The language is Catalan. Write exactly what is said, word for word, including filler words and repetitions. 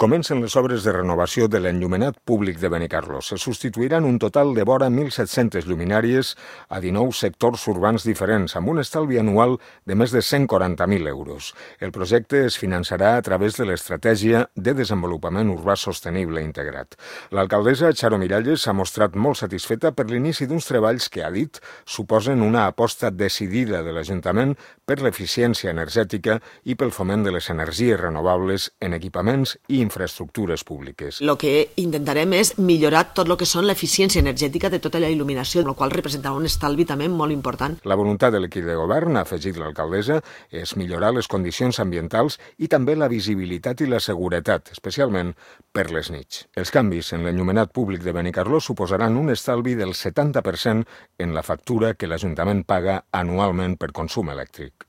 Comencen les obres de renovació de l'enllumenat públic de Benicarló. Se substituiran un total de vora mil set-centes lluminàries a dinou sectors urbans diferents, amb un estalvi anual de més de cent quaranta mil euros. El projecte es finançarà a través de l'Estratègia de Desenvolupament Urbà Sostenible Integrat. L'alcaldessa Charo Miralles s'ha mostrat molt satisfeta per l'inici d'uns treballs que, ha dit, suposen una aposta decidida de l'Ajuntament per l'eficiència energètica i pel foment de les energies renovables en equipaments i infraestructures públiques. El que intentarem és millorar tot el que són l'eficiència energètica de tota la il·luminació, el qual representarà un estalvi també molt important. La voluntat de l'equip de govern, ha afegit l'alcaldessa, és millorar les condicions ambientals i també la visibilitat i la seguretat, especialment per les nits. Els canvis en l'enllumenat públic de Benicarló suposaran un estalvi del setanta per cent en la factura que l'Ajuntament paga anualment per consum elèctric.